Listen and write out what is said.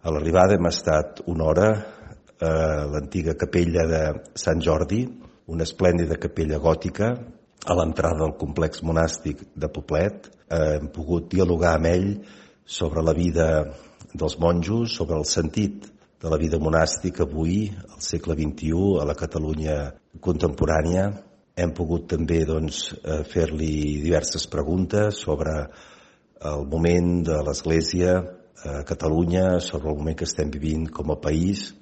A l'arribada hem estat una hora a l'antiga capella de Sant Jordi, una esplèndida capella gòtica, a l'entrada del complex monàstic de Poblet. Hem pogut dialogar amb ell sobre la vida dels monjos, sobre el sentit de la vida monàstica avui, al segle XXI, a la Catalunya contemporània. Hem pogut també fer-li diverses preguntes sobre el moment de l'Església a Catalunya, sobre el moment que estem vivint com a país.